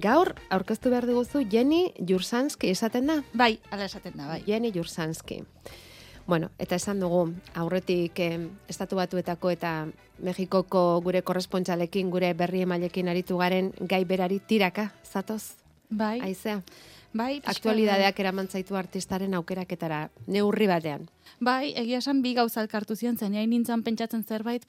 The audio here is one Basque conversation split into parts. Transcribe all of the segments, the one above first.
Gaur, aurkeztu behar diguzu, Jenny Jursanski esaten da? Bai, ala esaten da, bai. Jenny Jursanski. Bueno, eta esan dugu, aurretik Estatu Batuetako eta Mexikoko gure korrespontsalekin, gure berri emailekin aritu garen gai berari tiraka, zatoz? Bai. Aizea? Bai, aktualidadeak eramantzaitu artistaren aukeraketara, neurri batean. Bai, egia esan bi gauza elkartu zion, zen hain nintzen pentsatzen zerbait,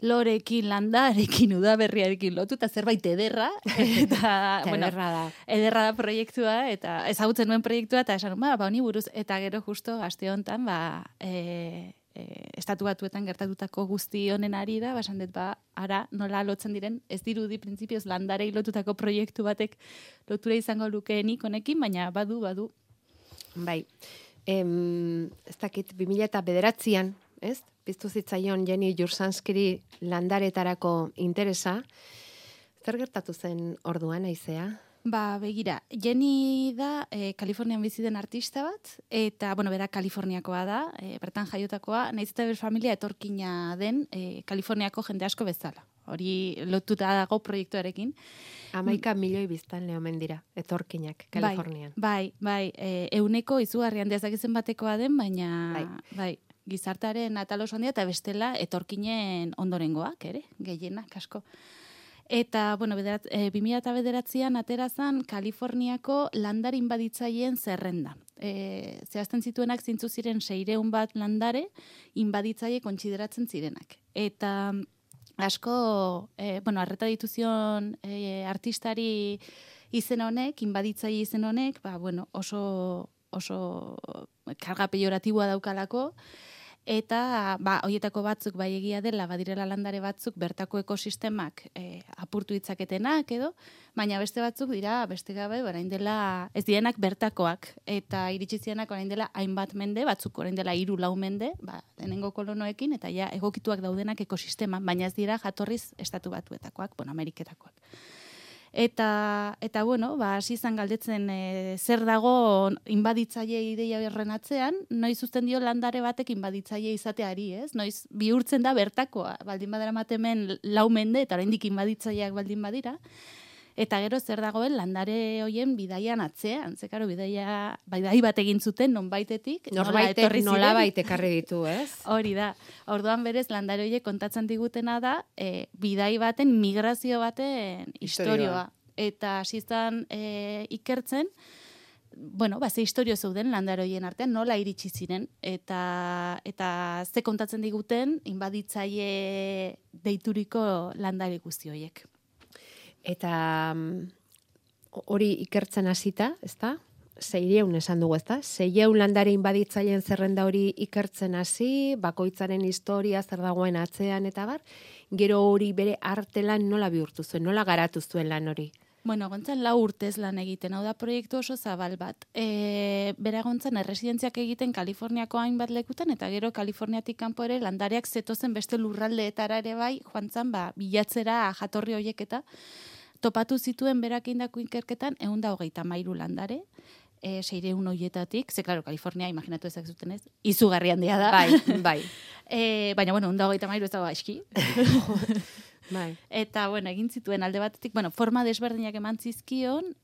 lorekin, landarekin, udaberriarekin lotu, eta zerbait ederra. Eta, ederra da. Ederra da proiektua, eta ezagutzen nuen proiektua, eta esan, honi buruz, eta gero justo aste honetan, Estatu Batuetan gertatutako guzti honen ari da, esan dut, ara, nola lotzen diren, ez dirudi printzipioz landarei lotutako proiektu batek lotura izango lukeenik honekin, baina badu. Bai, ez dakit, 2009an, ez? Piztu zitzaion Jenny Jursanskiri landaretarako interesa. Zer gertatu zen orduan, Aizea? Begira, Jenny da Kalifornian bizi den artista bat, eta, bera Kaliforniakoa da, bertan jaiotakoa, nahiz eta ber familia etorkina den Kaliforniako jende asko bezala. Hori lotuta dago proiektuarekin. 11 milioi biztan lehomen dira, etorkinak, Kalifornian. Bai, euneko izugarrian dezakizen batekoa den, baina, bai, gizartaren atal oso handia, eta bestela etorkinen ondorengoak, ere, gehienak asko. Eta, 2009an aterazan Kaliforniako landare inbaditzaileen zerrenda. Zehazten zituenak zintzu ziren 600 bat landare inbaditzaile kontsideratzen zirenak. Eta asko, arreta dituzion artistari izen honek, inbaditzaile izen honek, oso karga pejoratiboa daukalako, eta horietako batzuk bai egia dela, badirela landare batzuk bertako ekosistemak apurtu ditzaketenak edo, baina beste batzuk dira, beste gabe, orain dela, ez dienak bertakoak, eta iritsi zirenak orain dela hainbat mende, batzuk orain dela 3-4 mende, lehenengo kolonoekin, eta ja egokituak daudenak ekosisteman, baina ez dira jatorriz Estatu Batuetakoak, Ameriketakoak. Eta hasi izan galdetzen zer dago inbaditzaile ideia horren atzean, noiz uzten dio landare batek inbaditzaile izateari, ez? Noiz bihurtzen da bertakoa, baldin badara matemen 4 mende, eta oraindik inbaditzaileak baldin badira, eta gero zer dagoen landare hoien bidaian atzean, zekaro bidai bat egin zuten nonbaitetik, nolabait ekarri ditu, ez? Hori da. Orduan berez landare horiek kontatzen digutena da bidai baten, migrazio baten istorioa. Eta hasi izan ikertzen, ze istorio zeuden landare horien artean, nola iritsi ziren, eta ze kontatzen diguten inbaditzaile deituriko landare guzti horiek. Eta hori ikertzen hasita, ezta? 600 esan dugu, ezta? 600 landare inbaditzaileen zerrenda hori ikertzen hasi, bakoitzaren historia zer dagoen atzean eta bar, gero hori bere artelan nola bihurtu zuen, nola garatu zuen lan hori? Gontzan 4 urtez lan egiten, hau da proiektu oso zabal bat. Bera gontzan erresidentziak egiten Kaliforniako hainbat lekutan, eta gero Kaliforniatik kanpo ere landareak zetozen beste lurraldeetara ere bai, joan bilatzera jatorri horiek eta topatu zituen berak indako ikerketan 123 landare, 600 horietatik, klaro, Kalifornia, imaginatu ezak zuten ez, izugarri handia da. Bai. Baina, 123 ez dago aizki. Bai. Eta, egin zituen alde batetik, forma desberdinak eman zizkion,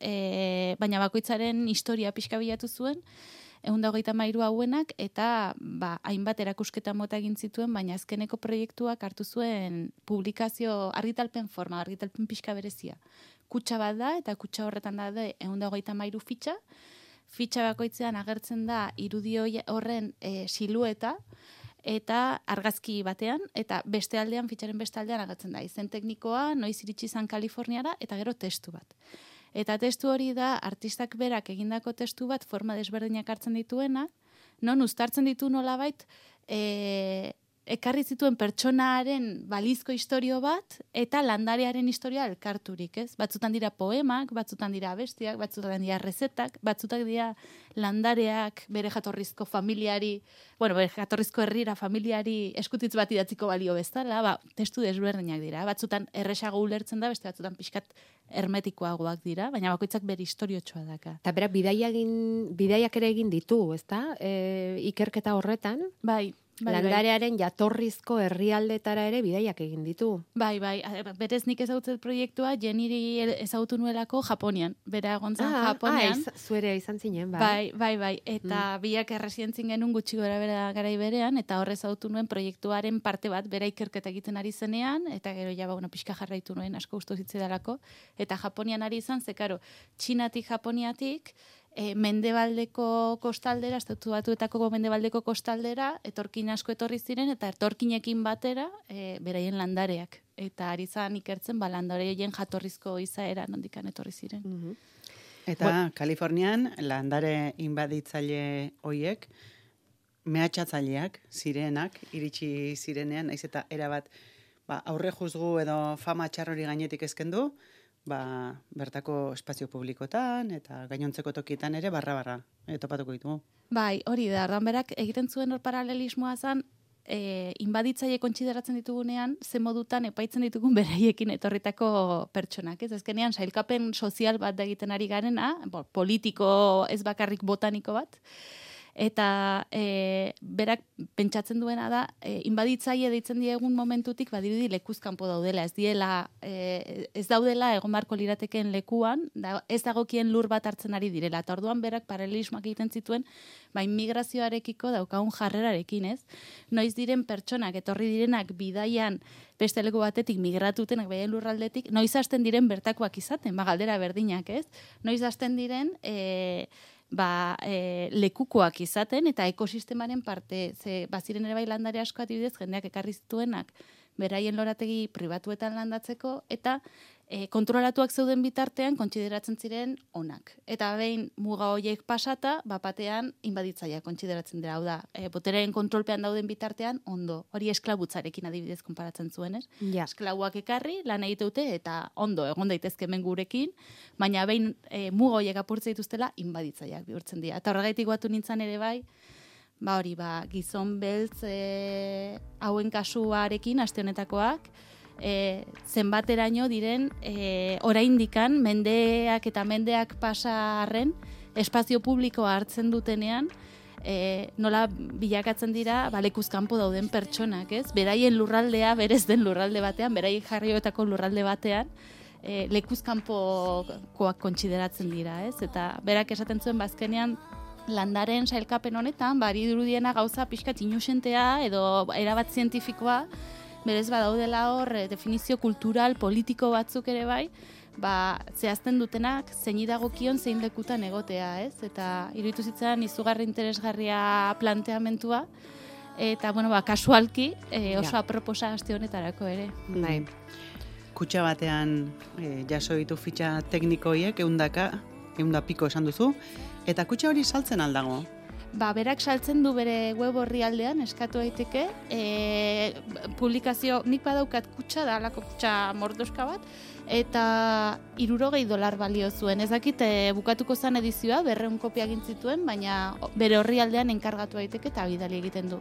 baina bakoitzaren historia pixka bilatu zuen, 123 hauenak, eta hainbat erakusketa mota egin zituen, baina azkeneko proiektuak hartu zuen publikazio argitalpen forma, argitalpen pixka berezia. Kutsa bat da, eta kutsa horretan da 123 fitxa bakoitzean agertzen da irudi horren silueta, eta argazki batean, eta fitxaren beste aldean agertzen da. Izen teknikoa, noiz iritsi izan Kaliforniara, eta gero testu bat. Eta testu hori da, artistak berak egindako testu bat, forma desberdinak hartzen dituena, non uztartzen ditu nolabait, ekarri zituen pertsonaren balizko istorio bat, eta landarearen historia elkarturik, ez? Batzutan dira poemak, batzutan dira abestiak, batzutan dira rezetak, batzutan dira landareak bere jatorrizko familiari, bere jatorrizko herrira familiari eskutitz bat idatziko balio bezala, testu desberdinak dira. Batzutan erresago ulertzen da, beste batzutan pixkat hermetikoagoak dira, baina bakoitzak bere historiotxoa daka. Eta berak bidaiak ere egin ditu, ezta? Ikerketa horretan? Bai. Landarearen jatorrizko herrialdetara ere bidaiak egin ditu. Bai, berez nik ezagutzen proiektua jeniri ezagutu nuelako Japonian. Bera egontzan Japonian. Zuere izan zinen, bai. Bai. Eta biak erresientzin genuen gutxi gora bera garai berean, eta horre ezagutu nuen proiektuaren parte bat, bera ikerketa egiten ari zenean, eta gero ja, pixka jarraitu nuen, asko gustu zitzidalako. Eta Japonian ari izan, zekaro, Txinatik, Japoniatik, mendebaldeko kostaldera, Estatu Batuetako mendebaldeko kostaldera, etorkin asko etorri ziren, eta etorkinekin batera, beraien landareak. Eta ari zan ikertzen, landareien jatorrizko izaera nondikan etorri ziren. Eta Kalifornian, landare inbaditzaile hoiek, mehatxatzaileak, zirenak, iritsi zirenean, naiz eta erabat, aurre juzgu edo fama txarrori gainetik ezkendu, bertako espazio publikotan eta gainontzeko tokietan ere barra topatuko ditugu. Bai, hori da, ordan berak egiten zuen hor paralelismoa zan, inbaditzaile kontsideratzen ditugunean, ze modutan epaitzen ditugun beraiekin etorritako pertsonak, ez? Azkenean, sailkapen sozial bat da egiten ari garena, politiko ez bakarrik botaniko bat, eta berak pentsatzen duena da, inbaditzaile deitzen diegun momentutik, badirudi lekuz kanpo daudela, ez daudela egon barko lirateken lekuan, ez dagokien lur bat hartzen ari direla, eta orduan berak paralelismoak egiten zituen, migrazioarekiko daukagun jarrerarekin, ez? Noiz diren pertsonak, etorri direnak bidaian beste leku batetik migratutenak beraien lurraldetik, noiz hasten diren bertakoak izaten, galdera berdinak, ez? Noiz hasten diren lekukoak izaten eta ekosistemaren parte, baziren ere bai landare asko adibidez, jendeak ekarri zituenak beraien lorategi pribatuetan landatzeko, eta kontrolatuak zeuden bitartean kontsideratzen ziren onak. Eta behin muga horiek pasata, batean inbaditzaia kontsideratzen dira, hau da, botereen kontrolpean dauden bitartean ondo. Hori esklabutzarekin adibidez konparatzen zuen, ez? Ja. Esklabuak ekarri, lan egiteute eta ondo egon daitezke hemen gurekin, baina behin muga horiek apurtze dituztela inbaditzaileak bihurtzen dira. Eta horregaitik batu nintzen ere bai, gizon beltz hauen kasuarekin, aste honetakoak, zenbateraino diren oraindikan mendeak eta mendeak pasarren espazio publikoa hartzen dutenean nola bilakatzen dira lekuz kanpo dauden pertsonak, ez? Beraien lurraldea berez den lurralde batean, beraien jarrioetako lurralde batean lekuz kanpokoak kontsideratzen dira, ez? Eta berak esaten zuen bazkenean landaren sailkapen honetan, dirudiena gauza pixkat inusentea edo erabat zientifikoa, berez badaudela hor definizio kultural, politiko batzuk ere bai, zehazten dutenak zein dagokion zein lekutan egotea, ez? Eta iruditu zitzaidan izugarri interesgarria planteamentua, eta, kasualki oso aproposa aste honetarako ere. Bai. Kutxa batean jaso ditu fitxa teknikoiek, 100 piko esan duzu, eta kutxa hori saltzen aldago? Berak saltzen du bere web orrialdean, eskatu daiteke, publikazio, nik badaukat kutxa, da alako kutxa mordoska bat, eta $60 balio zuen. Ez dakit bukatuko zen edizioa, 200 kopia egin zituen, baina bere orrialdean enkargatu daiteke eta bidali egiten du.